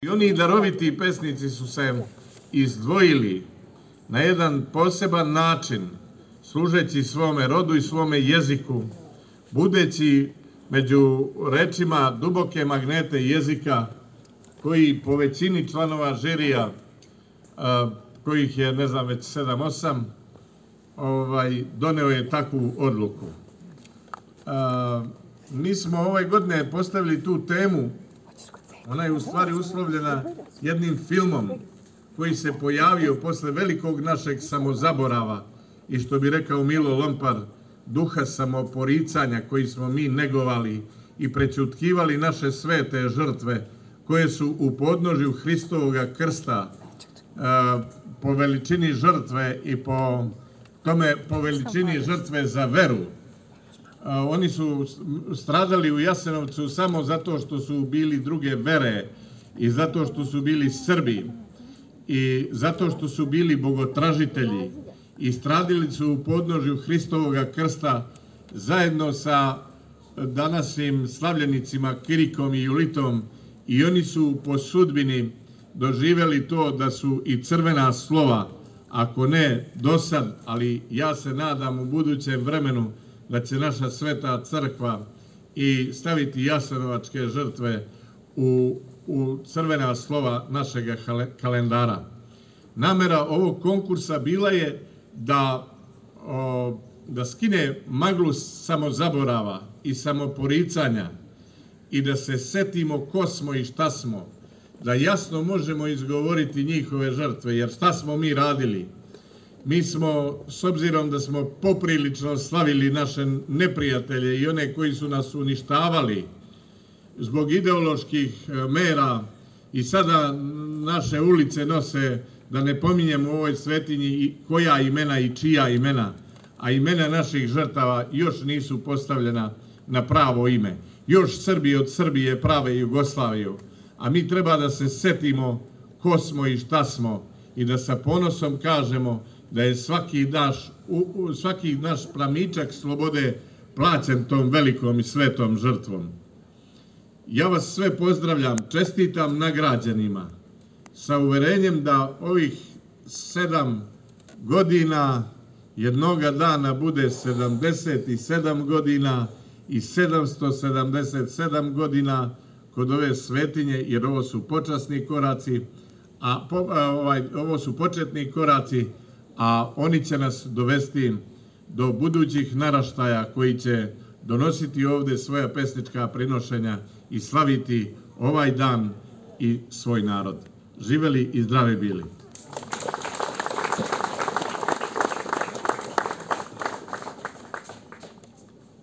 I oni daroviti pesnici su se izdvojili na jedan poseban način, služeći svome rodu i svome jeziku, budeći među rečima duboke magnete jezika, koji po većini članova žirija, kojih je, ne znam, već 7-8, doneo je takvu odluku. Mi smo ove godine postavili tu temu. Ona je u stvari uslovljena jednim filmom koji se pojavio posle velikog našeg samozaborava i, što bi rekao Milo Lompar, duha samoporicanja koji smo mi negovali i prećutkivali naše svete žrtve koje su u podnožju Hristovoga krsta po veličini žrtve i po veličini žrtve za veru. Oni su stradali u Jasenovcu samo zato što su bili druge vere i zato što su bili Srbi i zato što su bili bogotražitelji i stradili su u podnožju Hristovoga krsta zajedno sa današnjim slavljenicima Kirikom i Julitom, i oni su po sudbini doživeli to da su i crvena slova, ako ne dosad, ali ja se nadam u budućem vremenu da će naša sveta crkva i staviti jasenovačke žrtve u crvena slova našeg kalendara. Namera ovog konkursa bila je da skine maglu samozaborava i samoporicanja i da se setimo ko smo i šta smo, da jasno možemo izgovoriti njihove žrtve, jer šta smo mi radili? Mi smo, s obzirom da smo poprilično slavili naše neprijatelje i one koji su nas uništavali zbog ideoloških mera, i sada naše ulice nose, da ne pominjemo u ovoj svetinji koja imena i čija imena, a imena naših žrtava još nisu postavljena na pravo ime. Još Srbi od Srbije prave Jugoslaviju, a mi treba da se setimo ko smo i šta smo i da sa ponosom kažemo da je svaki naš plamičak slobode plaćen tom velikom i svetom žrtvom. Ja vas sve pozdravljam, čestitam nagrađenima, sa uverenjem da ovih 7 godina jednoga dana bude 77 godina i 777 godina kod ove svetinje, jer ovo su počasni koraci, ovo su početni koraci, a oni će nas dovesti do budućih naraštaja koji će donositi ovde svoja pesnička prinošenja i slaviti ovaj dan i svoj narod. Živeli i zdravi bili!